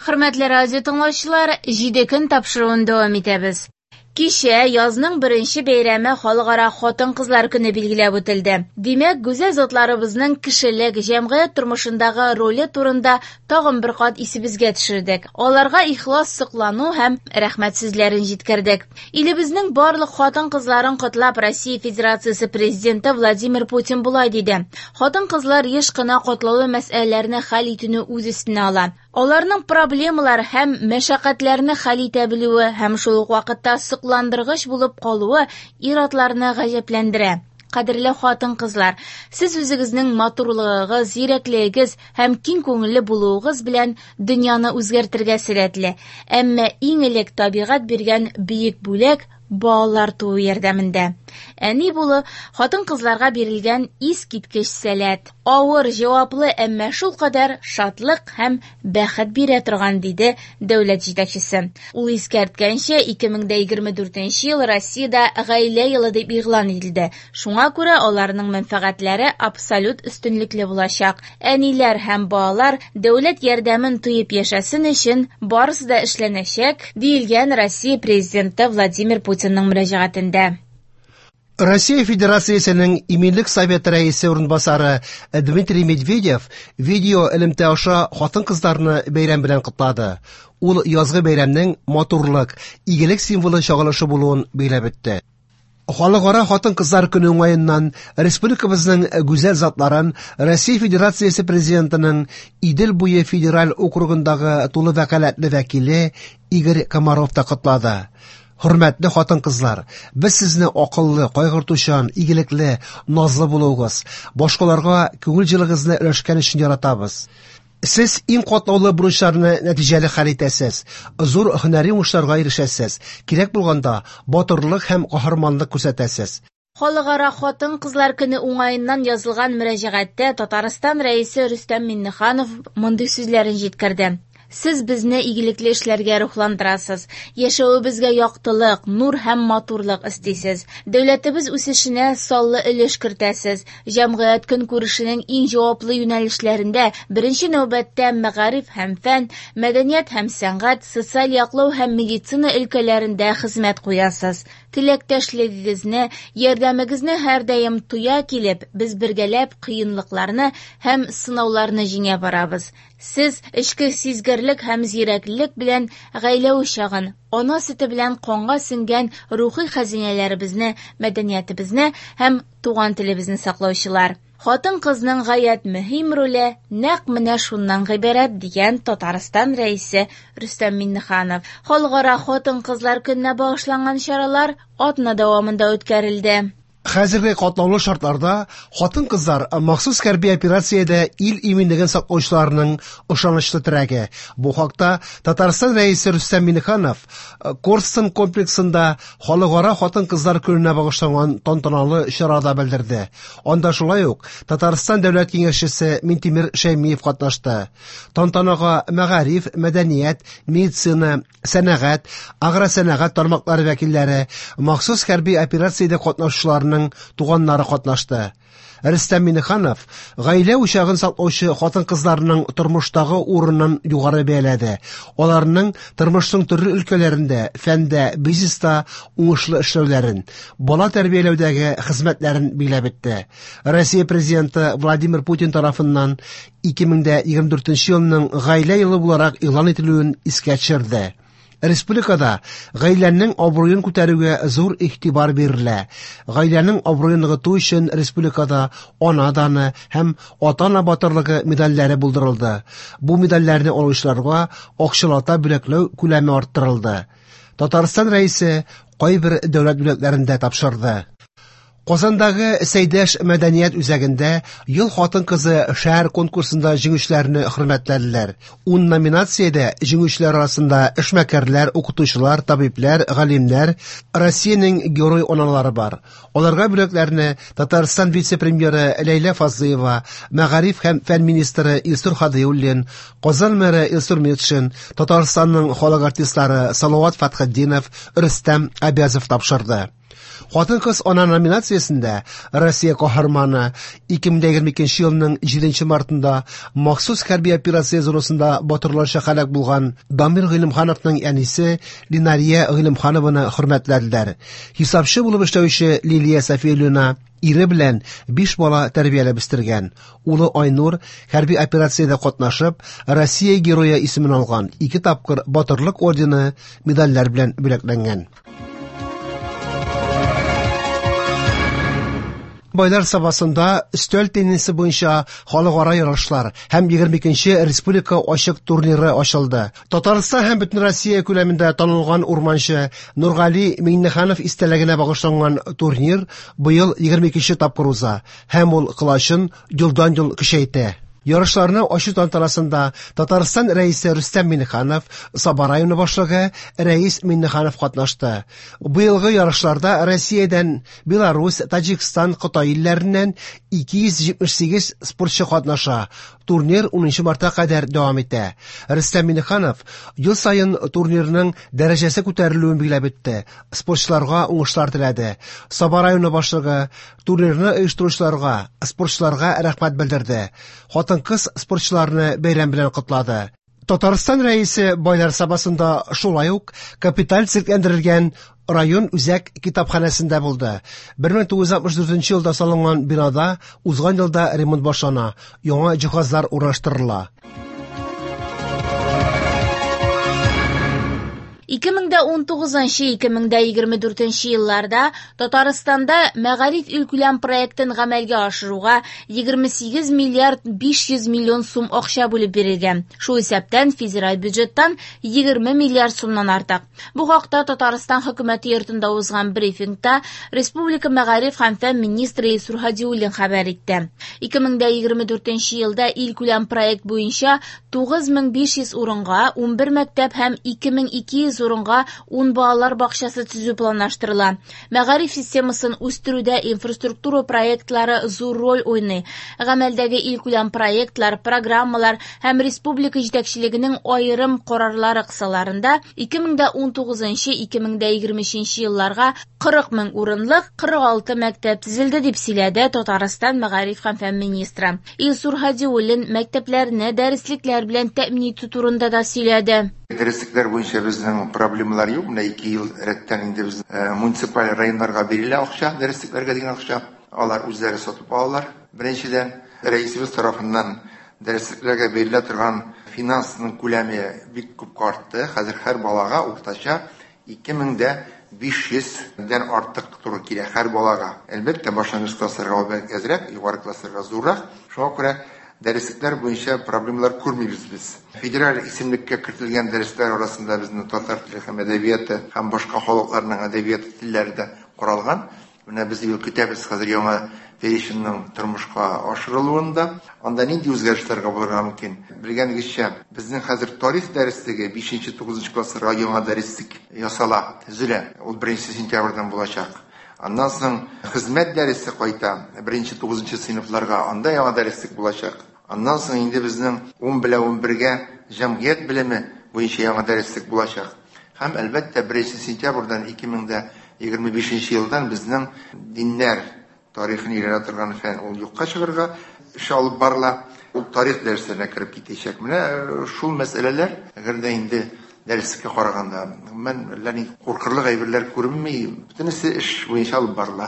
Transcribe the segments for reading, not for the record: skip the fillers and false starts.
Хөрмәтле радио тыңлаучылар, 7 көн тапшыруын дәвам итәбез. Кичә язның беренче бәйрәме Халыкара хатын-кызлар көне билгеләп үтелде. Димәк, гүзәл затларыбызның кешелек, җәмгыять тормышындагы роле турында тагын бер кат исебезгә төшердек. Аларга ихлас соклану һәм рәхмәт сүзләрен җиткердек. Илебезнең барлык хатын-кызларын котлап, Россия Федерациясе Президенты Владимир Путин болай диде: "Хатын-кызлар еш кына катлаулы мәсьәләләрне хәл итүне үз өстенә ала. Аларның проблемалар һәм мәшәкатьләрне хәл итә белүе һәм шул ук вакытта сокландыргыч булып калуы ир-атларны гаҗәпләндерә. Кадерле хатын-кызлар, сез үзегезнең матурлыгыгыз, зирәклегегез һәм киң күңелле булуыгыз белән дөньяны үзгәртергә сәләтле. Әмма иң элек табигать биргән бөек бүләк балалар туу ярдәмендә. Әни булу хатын-кызларга бирелгән искиткеч сәләт. Авыр, җаваплы, әмма шулкадәр шатлык һәм бәхет бирә торган, диде дәүләт җитәкчесе. Ул искәрткәнчә, 2024 ел Россиядә гаилә елы дип игълан ителде. Шуңа күрә аларның мәнфәгатьләре абсолют өстенлекле булачак. Әниләр һәм балалар дәүләт ярдәмен тоеп яшәсен өчен барысы да эшләнәчәк, диелгән Россия Президенты Владимир Путинның мөрәҗәгатендә. Россия Федерациясенең Иминлек Советы рәисе урынбасары Дмитрий Медведев видео элемтә аша хатын-кызларны бәйрәм белән котлады. Ул язгы бәйрәмнең матурлык, игелек символы чагылышы булуын билгеләп үтте. Халыкара хатын-кызлар көне уңаеннан республикабызның гүзәл затларын Россия Федерациясе Президентының Идел буе федераль округындагы тулы вәкаләтле вәкиле Игорь Комаров та котлады. Хөрмәтле хатын-кызлар, без сезне акыллы, кайгыртучан, игелекле, назлы булуыгыз, башкаларга күңел җылыгызны өләшкән өчен яратабыз. Сез иң катлаулы бурычларны нәтиҗәле хәл итәсез, зур һөнәри уңышларга ирешәсез, кирәк булганда батырлык һәм каһарманлык күрсәтәсез. Халыкара хатын-кызлар көне уңаеннан язылган мөрәҗәгатьтә Татарстан Рәисе Рөстәм Миңнеханов мондый сүзләрен җиткерде. Сез безне игелекле эшләргә рухландырасыз, яшәвебезгә яктылык, нур һәм матурлык өстисез. Дәүләтебез үсешенә саллы өлеш кертәсез. Җәмгыять көнкүрешенең иң җаваплы юнәлешләрендә, беренче нәүбәттә мәгариф һәм фән, мәдәният һәм сәнгать, социаль яклау һәм медицина өлкәләрендә хезмәт куясыз. Теләктәшлегегезне, ярдәмегезне һәрдаим тоя килеп, без бергәләп кыенлыкларны һәм сынауларны җиңә барабыз. Сез эчке сизгерлек һәм зирәклек белән гаилә учагын, ана сөте белән канга сеңгән рухи хәзинәләребезне, мәдәниятебезне һәм туган телебезне саклаучылар. Хатын-кызның гаять мөһим роле нәкъ менә шуннан гыйбарәт, дигән Татарстан Рәисе Рөстәм Миңнеханов. Халыкара хатын-кызлар көненә багышланган чаралар атна дәвамында үткәрелде. Хәзерге катлаулы шартларда хатын-кызлар махсус хәрби операциядә ил иминлеген саклаучыларның ышанычлы терәге. Бу хакта Татарстан Рәисе Рөстәм Миңнеханов Корстон комплексында Халыкара хатын-кызлар көненә багышланган тантаналы чарада белдерде. Анда шулай ук Татарстан Дәүләт Киңәшчесе Минтимер Шәймиев катнашты. Тантанага мәгариф, мәдәният, медицина, сәнәгать, агросәнәгать тармаклары вәкилләре, махсус хәрби операциядә катнашучыларның туганнары катнашты. Рөстәм Миңнеханов гаилә учагын саклаучы хатын-кызларның тормыштагы урынын югары бәяләде. Аларның тормышның төрле өлкәләрендә, фәндә, бизнеста уңышлы эшләүләрен, бала тәрбияләүдәге хезмәтләрен билгеләп үтте. Россия Президенты Владимир Путин тарафыннан 2024 елның гаилә елы буларак игълан ителүен искә төшерде. Республикада гаиләнең абруен күтәрүгә зур игътибар бирелә. Гаиләнең абруен ныгыту өчен республикада ана даны һәм ата-ана батырлыгы медальләре булдырылды. Бу медальләрне алучыларга акчалата бүләкләү күләме арттырылды. Татарстан Рәисе кайбер дәүләт бүләкләрен дә тапшырды. Казандагы Сәйдәш мәдәният үзәгендә Ел хатын-кызы шәһәр конкурсында җиңүчеләрне хөрмәтләделәр. 10 номинациядә җиңүчеләр арасында эшмәкәрләр, укытучылар, табибләр, галимнәр, Россиянең герой аналары бар. Аларга бүләкләрне Татарстан вице-премьеры Ләйлә Фазлыева, мәгариф һәм фән министры Илсур Һадиуллин, Казан мэры Илсур Метшин, Татарстанның халык артистлары Салават Фәтхетдинов, Рөстәм Абязов тапшырды. Хатын-кыз ана номинациясендә Россия каһарманы 2022 елның 7 мартында махсус хәрби операция зонасында батырларча һәлак булган Дамир Гыйлемхановның әнисе Линария Гыйлемханованы хөрмәтләделәр. Хисапчы булып эшләүче Лилия Сафиуллина ире белән 5 бала тәрбияләп үстергән. Улы Айнур хәрби операциядә катнашып, Россия герое исемен алган, 2 тапкыр Батырлык ордены, медальләр белән бүләкләнгән. Байлар Сабасында өстәл теннисы буенча халыкара ярышлар һәм 22нче республика ачык турниры ачылды. Татарстан һәм бөтен Россия күләмендә танылган урманчы Нургали Миңнеханов истәлегенә багышланган турнир быел 22нче тапкыр уза һәм ул колачын елдан-ел көчәйтә. Ярышларны ачу тантанасында Татарстан Рәисе Рөстәм Миңнеханов, Саба районы башлыгы Рәис Миңнеханов катнашты. Быелгы ярышларда Россиядән, Беларусь, Таҗикстан, Кытай илләреннән 278 спортчы катнаша. Турнир 10 мартка кадәр дәвам итә. Рөстәм Миңнеханов ел саен турнирның дәрәҗәсе күтәрелүен билгеләп үтте. Спортчыларга уңышлар теләде. Саба районы башлыгы турнирны оештыручыларга, спортчыларга рәхмәт белдерде. Хатын-кыз спортчыларны бәйрәм белән котлады. Татарстан Рәисе Байлар Сабасында шулай ук капиталь төзекләндерелгән район үзәк китапханәсендә булды. 1964 елда салынган бинада узган елда ремонт башлана, яңа җиһазлар урнаштырыла. 2019-2024 елларда Татарстанда Мәгариф илкүләм проектын гамәлгә ашыруга 28 миллиард 500 миллион сум акча бүлеп бирелгән. Шул исәптән федераль бюджеттан 20 миллиард сумнан артык. Бу хакта Татарстан хөкүмәте йортында узган брифингта Республика мәгариф һәм фән министры Илсур Һадиуллин хәбәр итте. 2024 елда илкүләм проект буенча 9500 урынга 11 мәктәп һәм 2200 урынга 10 балалар бакчасы төзү планлаштырыла. Мәгариф системасын үстерүдә инфраструктура проектлары зур роль уйный. Гамәлдәге илкүләм проектлар, программалар һәм республика җитәкчелегенең аерым карарлары кысаларында 2019-2023 елларга 40 мең урынлык 46 мәктәп төзелде, дип сөйләде Татарстан мәгариф һәм фән министры. Илсур Һадиуллин мәктәпләрне дәреслекләр белән тәэмин итү турында да сөйләде. Дәреслекләр буенча безнең проблемалар юк. Менә 2 ел рәттән инде без муниципаль районнарга бирелә акча, дәреслекләргә дигән акча. Алар үзләре сатып алалар. Беренчедән, рәисебез тарафыннан дәреслекләргә бирелә торган финансның күләме бик күп артты. Хәзер һәр балага уртача 2500-дән артык туры килә һәр балага. Әлбәттә, башлангыч классларга ул бәлки әзрәк, югары классларга зуррак. Шуңа күрә дәреслекләр буенча проблемалар күрмибез без. Федераль исемлеккә кертелгән дәресләр арасында безнең татар теле һәм әдәбияты һәм башка халыкларның әдәбияты телләре дә каралган. Менә без быел көтәбез хәзер яңа переченьнең тормышка ашырылуын да. Анда нинди үзгәрешләр булырга мөмкин? Белгәнегезчә, безнең хәзер тарих дәреслеге 5-9 классларга яңа дәреслек ясала, төзелә. Ул 1 сентябрьдән булачак. Аннан соң хезмәт дәресе кайта 1-9 сыйныфларга, анда яңа дәреслек булачак. Аннан соң инде безнең 10 белән 11-гә җәмгыять белеме буенча яңа дәреслек булачак. Һәм әлбәттә 1 сентябрьдән 2025 елдан безнең диннәр тарихын өйрәнә торган фән ул юкка чыгарга эш алып барыла. Ул тарих дәресләренә кереп китәчәк. Менә шул мәсьәләләр, әгәр дә инде дәреслеккә караганда, гомумән, әллә ни куркырлык әйберләр күренми, бөтенесе эш буенча алып барыла.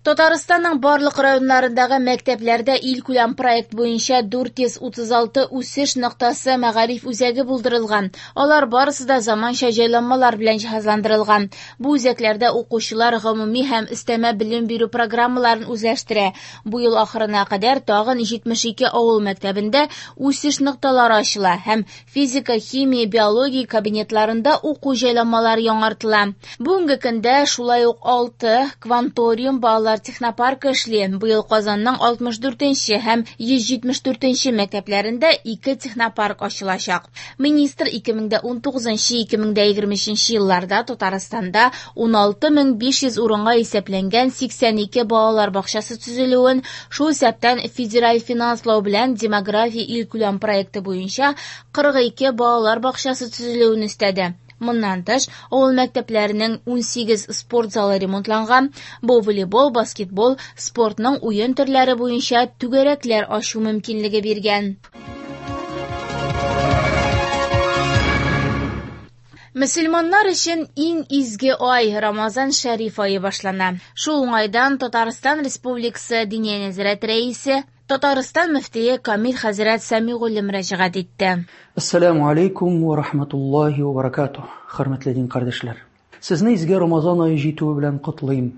Татарстанның барлык районнарындагы мәктәпләрдә илкүләм проект буенча 436 үсеш ноктасы мәгариф үзәге булдырылган. Алар барысы да заманча җайланмалар белән җиһазландырылган. Бу үзәкләрдә укучылар гомуми һәм өстәмә белем бирү программаларын үзләштерә. Бу ел ахырына кадәр тагын 72 авыл мәктәбендә үсеш нокталары ачыла һәм физика, химия, биология кабинетларында уку җайланмалары яңартыла. Бүгенге көндә шулай ук 6 кванториум балалар технопаркы эшли. Быел Казанның 64 һәм 174 мәктәпләрендә 2 технопарк ачылачак. Министр 2019-2023 елларда Татарстанда 16500 урынга исәпләнгән 82 балалар бакчасы төзелүен, шул исәптән федераль финанслау белән демография илкүләм проекты буенча 42 балалар бакчасы төзелүен өстәде. Моннан тыш, авыл мәктәпләренең 18 спорт залы ремонтланган. Бу волейбол, баскетбол, спортның уен төрләре буенча түгәрәкләр ачу мөмкинлеге биргән. Мөселманнар өчен иң изге ай Рамазан шәриф ае башлана. Шул уңайдан Татарстан Республикасы Диния нәзарәте рәисе, Татарстан мөфтие Камил хәзрәт Сәмигуллин мөрәҗәгать итте. Ассаламу алейкум ва рахматуллахи ва баракатух, хөрмәтле дин кардәшләр. Сезне изге Рамазан ае җитүе белән котлыйм.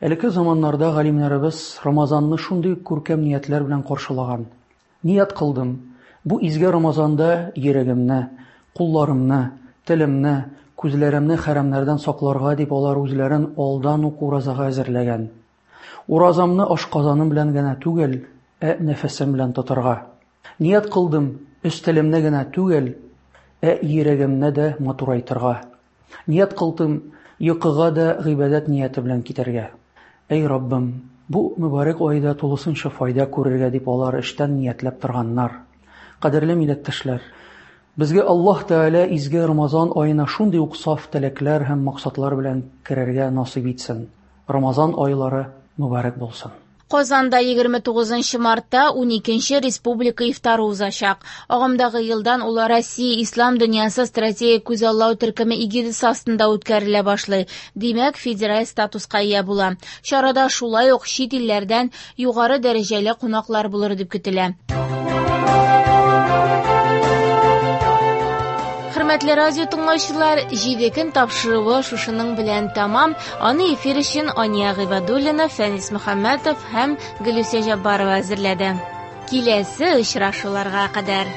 Элекке заманнарда галимнәребез Рамазанны шундый күркәм ниятләр белән каршылаган. Ният кылдым, бу изге Рамазанда йөрәгемне, кулларымны, телемне, күзләремне хәрамнардан сакларга дип алар үзләрен алдан ук уразага әзерләгән. Уразамны ашказаным белән генә түгел, ә нәфесем белән тотарга. Ният кылдым, өстәлемне генә түгел, ә йөрәгемне дә матурайтырга. Ният кылдым, йокыга да гыйбадәт нияте белән китәргә. Әй Раббым, бу мөбарәк айда тулысынча файда күрергә дип алар эштән ниятләп торганнар. Кадерле милләттәшләр, безгә Аллаһ Тәгалә изге Рамазан аена шундый ук саф теләкләр һәм максатлар белән керергә насыйп итсен. Рамазан айлары мөбарәк булсын. Казанда 29 мартта 12 республика ифтары узачак. Агымдагы елдан ул Россия Ислам дөньясы стратегик күзаллау төркеме эгидасы астында үткәрелә башлый. Димәк, федераль статуска ия була. Чарада шулай ук чит илләрдән югары дәрәҗәле кунаклар булыр дип көтелә. Хөрмәтле радио тыңлаучылар, 7 көн тапшыруы шушының белән тәмам. Аны эфир өчен Ания Гыйбадуллина, Фәнис Мөхәммәтов һәм Гөлүсә Җаббарова әзерләде. Киләсе очрашуларга кадәр.